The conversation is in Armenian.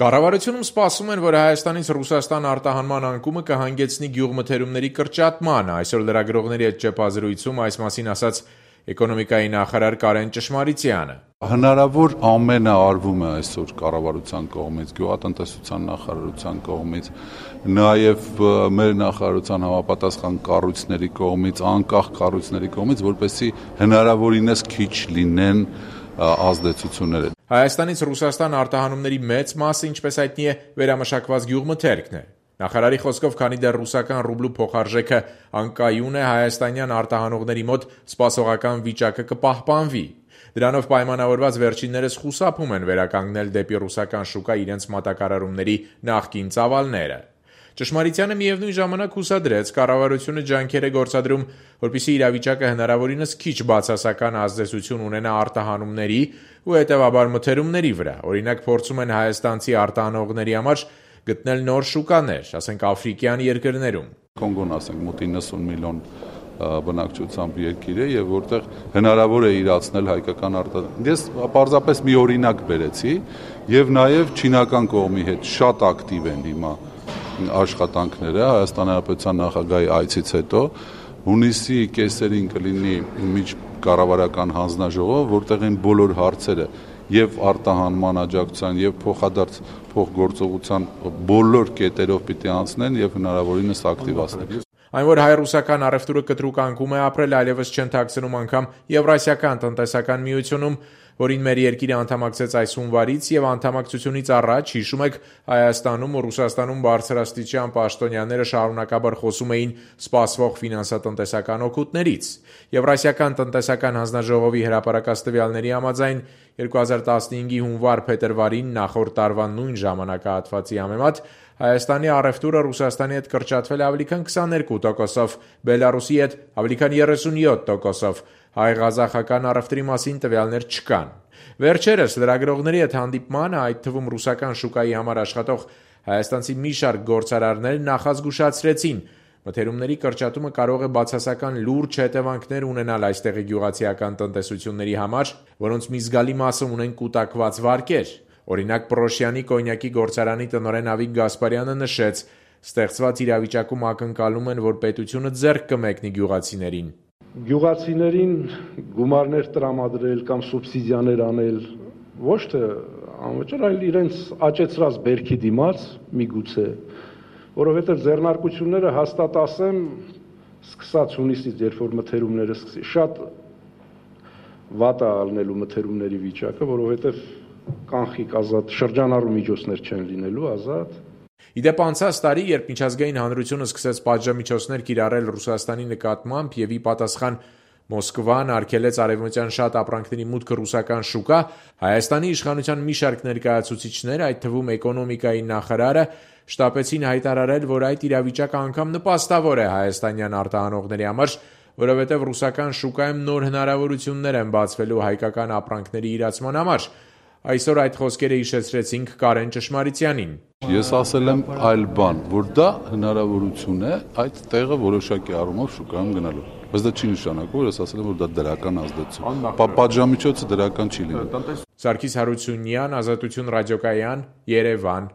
Կառավարությունում սպասում են, որ Հայաստանից Ռուսաստան արտահանման անկումը կհանգեցնի գյուղմթերումների կրճատման։ Այսօր լրագրողների հետ ճեպազրույցում այս մասին ասաց էկոնոմիկայի նախարար Կարեն Ճշմարիցյանը։ Հնարավոր ամենը արվում է այսօր կառավարության կողմից, գյուղատնտեսության նախարարության կողմից, նաև մեր նախարարության համապատասխան կառույցների կողմից, անկախ կառույցների կողմից, որպեսզի հնարավորինս քիչ լինեն ազդեցությունները։ Հայաստանից Ռուսաստան արտահանումների մեծ մասը, ինչպես հայտնի է, վերամշակված գյուղմթերքն է։ Նախարարի խոսքով, քանի դեռ ռուսական ռուբլու փոխարժեքը անկայուն է, հայաստանյան արտահանողների մոտ սպասողական վիճակը կպահպանվի։ Դրանով պայմանավորված վերջիններս խուսափում են վերականգնել դեպի ռուսական շուկա իրենց մատակարարումների նախկին ծավալները։ Ճշմարիցյանը միևնույն ժամանակ հուսադրեց, կառավարությունը ջանքեր է գործադրում, որպեսզի իրավիճակը հնարավորինս քիչ բացասական ազդեցություն ունենա արտահանումների ու հետևաբար մթերումների վրա։ Օրինակ, փորձում են հայաստանցի արտահանողների համար գտնել նոր շուկաներ, ասենք աֆրիկյան երկրներում։ Կոնգոն, ասենք, մոտ 90 միլիոն բնակչությամբ երկիր է եւ որտեղ հնարավոր է իրացնել հայկական արտահանումներ։ Ես պարզապես մի օրինակ բերեցի եւ նաեւ չինական կողմի հետ շատ ակտիվ են հիմա աշխատանքները Հայաստանի Հանրապետության նախագահի այցից հետո հունիսի կեսերին կլինի միջկառավարական հանձնաժողով, որտեղ են բոլոր հարցերը եւ արտահանման աջակցության եւ փոխադարձ փոխգործողության բոլոր կետերով պիտի անցնեն եւ հնարավորինս ակտիվացնեն։ Այն, որ հայ-ռուսական առևտուրը կտրուկ անկում է ապրել, այլևս չեն թաքցնում անգամ Եվրասիական տնտեսական միությունում, որին մեր երկիրը անդամակցեց այս հունվարից եւ անդամակցությունից առաջ, հիշում եք, Հայաստանում ու Ռուսաստանում բարձրաստիճան պաշտոնյաները շարունակաբար խոսում էին սպասվող ֆինանսատնտեսական օգուտներից։ Եվրասիական տնտեսական հանձնաժողովի հրապարակած տվյալների համաձայն 2015-ի հունվար-փետրվարին նախորդ տարվա նույն ժամանակահատվածի համեմատ Հայաստանի առևտուրը Ռուսաստանի հետ կրճատվել ավելի քան 22%, Բելարուսի հետ ավելի քան 37%, հայ-ղազախական առևտրի մասին տվյալներ չկան։ Վերջերս լրագրողների հետ հանդիպմանը, այդ թվում ռուսական շուկայի համար աշխատող հայաստանցի մի շարք գործարարներ նախազգուշացրեցին, մթերումների կրճատումը կարող է բացասական լուրջ հետևանքներ ունենալ այստեղի գյուղացիական տնտեսությունների համար, որոնց մի զգալի մասը ունեն կուտակված վարկեր։ Օրինակ, Պրոշյանի կոնյակի գործարանի տնօրեն Ավիկ Գասպարյանը նշեց, ստեղծված իրավիճակում ակնկալում են, որ պետությունը ձեռք կմեկնի գյուղացիներին։ Գյուղացիներին գումարներ տրամադրել կամ սուբսիդիաներ անել ոչ թե անվճար, այլ իրենց աճեցրած բերքի դիմաց միգուցե, որովհետև ձեռնարկությունները հաստատ ասեմ, սկսած հունիսից, երբ որ մթերումները սկսի, շատ վատ է ալնելու մթերումների վիճակը, որովհետև կանխիկ ազատ շրջանառու միջոցներ չեն լինելու ազատ։ Իդեպ անցած տարի, երբ միջազգային հանրությունը սկսեց պատժամիջոցներ կիրառել Ռուսաստանի նկատմամբ եւ ի պատասխան Մոսկվան արգելեց արևմտյան շատ ապրանքների մուտքը ռուսական շուկա, Հայաստանի իշխանության մի շարք ներկայացուցիչներ, այդ թվում էկոնոմիկայի նախարարը, շտապեցին հայտարարել, որ այդ իրավիճակը անգամ նպաստավոր է հայաստանյան արտահանողների համար, որովհետև ռուսական շուկայում նոր հնարավորություններ են բացվելու հայկական ապրանքների իրացման համար։ Այսօր այդ խոսքերը հիշեցրեցինք Կարեն Ճշմարիցյանին։ Ես ասել եմ այլ բան, որ դա հնարավորություն է այդ տեղը որոշակի առումով շուկայում գնալու։ Բայց դա չի նշանակում, որ ես ասել եմ, որ դա դրական ազդեցություն։ Պատժամիջոցը դրական չի լինի։ Սարգիս Հարությունյան, Ազատություն ռադիոկայան, Երևան։